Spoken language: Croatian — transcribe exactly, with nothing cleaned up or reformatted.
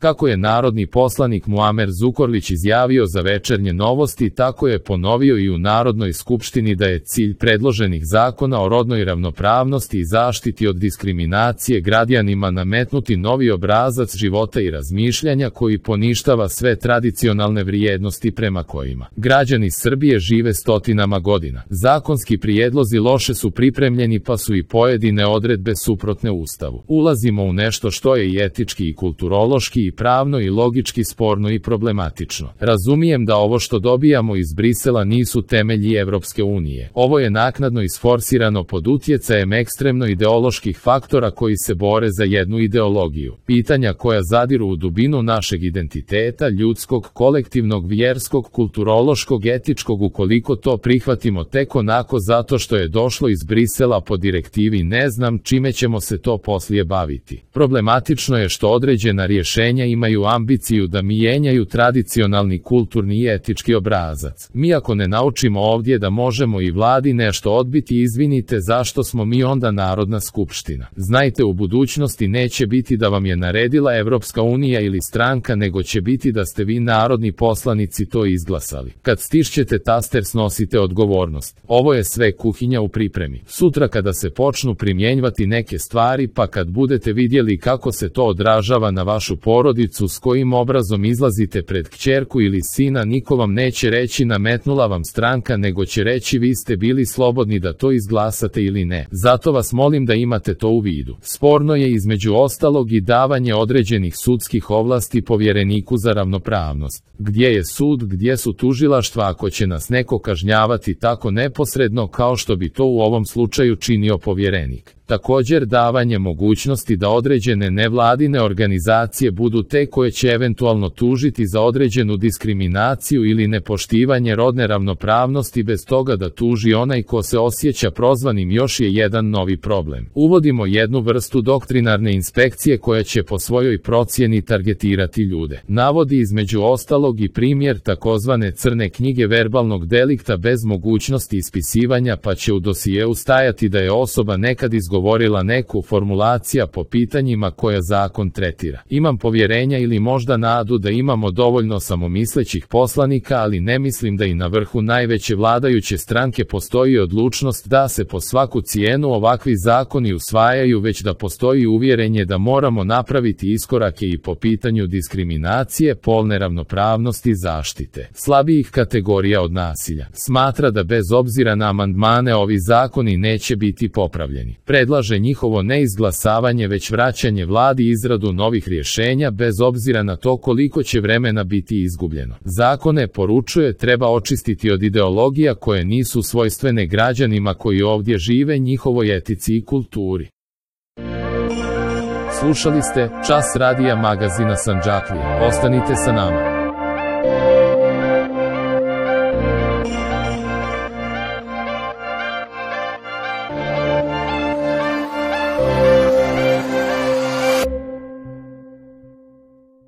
Kako je narodni poslanik Muamer Zukorlić izjavio za Večernje novosti, tako je ponovio i u Narodnoj skupštini da je cilj predloženih zakona o rodnoj ravnopravnosti i zaštiti od diskriminacije građanima nametnuti novi obrazac života i razmišljanja koji poništava sve tradicionalne vrijednosti prema kojima građani Srbije žive stotinama godina. Zakonski prijedlozi loše su pripremljeni pa su i pojedine odredbe suprotne Ustavu. Ulazimo u nešto što je i etički i kulturološki i pravno i logički sporno i problematično. Razumijem da ovo što dobijamo iz Brisela nisu temelji Evropske unije. Ovo je naknadno isforsirano pod utjecajem ekstremno ideoloških faktora koji se bore za jednu ideologiju. Pitanja koja zadiru u dubinu našeg identiteta, ljudskog, kolektivnog, vjerskog, kulturološkog, etičkog, ukoliko to prihvatimo tek onako zato što je došlo iz Brisela po direktivi, ne znam čime ćemo se to poslije baviti. Problematično je što određena rješenja imaju ambiciju da mijenjaju tradicionalni kulturni i etički obrazac. Mi ako ne naučimo ovdje da možemo i vladi nešto odbiti, izvinite, zašto smo mi onda Narodna skupština? Znajte, u budućnosti neće biti da vam je naredila Evropska unija ili stranka, nego će biti da ste vi narodni poslanici to izglasali. Kad stišćete taster, snosite odgovornost. Ovo je sve kuhinja u pripremi. Sutra kada se počnu primjenjivati neke stvari, pa kad budete vidjeli kako se to odražava na vašu porodicu, s kojim obrazom izlazite pred kćerku ili sina, niko vam neće reći nametnula vam stranka, nego će reći vi ste bili slobodni da to izglasate ili ne. Zato vas molim da imate to u vidu. Sporno je između ostalog i davanje određenih sudskih ovlasti povjereniku za ravnopravnost. Gdje je sud, gdje su tužilaštva ako će nas neko kažnjavati tako neposredno kao što bi to u ovom slučaju činio povjerenik? Također davanje mogućnosti da određene nevladine organizacije budu te koje će eventualno tužiti za određenu diskriminaciju ili nepoštivanje rodne ravnopravnosti bez toga da tuži onaj ko se osjeća prozvanim, još je jedan novi problem. Uvodimo jednu vrstu doktrinarne inspekcije koja će po svojoj procjeni targetirati ljude. Navodi između ostalog i primjer takozvane crne knjige verbalnog delikta bez mogućnosti ispisivanja, pa će u dosijeu stajati da je osoba nekad izgovorila govorila neku formulacija po pitanjima koja zakon tretira. Imam povjerenja ili možda nadu da imamo dovoljno samomislećih poslanika, ali ne mislim da i na vrhu najveće vladajuće stranke postoji odlučnost da se po svaku cijenu ovakvi zakoni usvajaju, već da postoji uvjerenje da moramo napraviti iskorake i po pitanju diskriminacije, polne ravnopravnosti, zaštite slabijih kategorija od nasilja. Smatra da bez obzira na amandmane ovi zakoni neće biti popravljeni. Predlaže njihovo neizglasavanje, već vraćanje vladi izradu novih rješenja bez obzira na to koliko će vremena biti izgubljeno. Zakone, poručuje, treba očistiti od ideologija koje nisu svojstvene građanima koji ovdje žive, njihovoj etici i kulturi. Slušali ste Čas radija magazina Sandžaklije. Ostanite sa nama.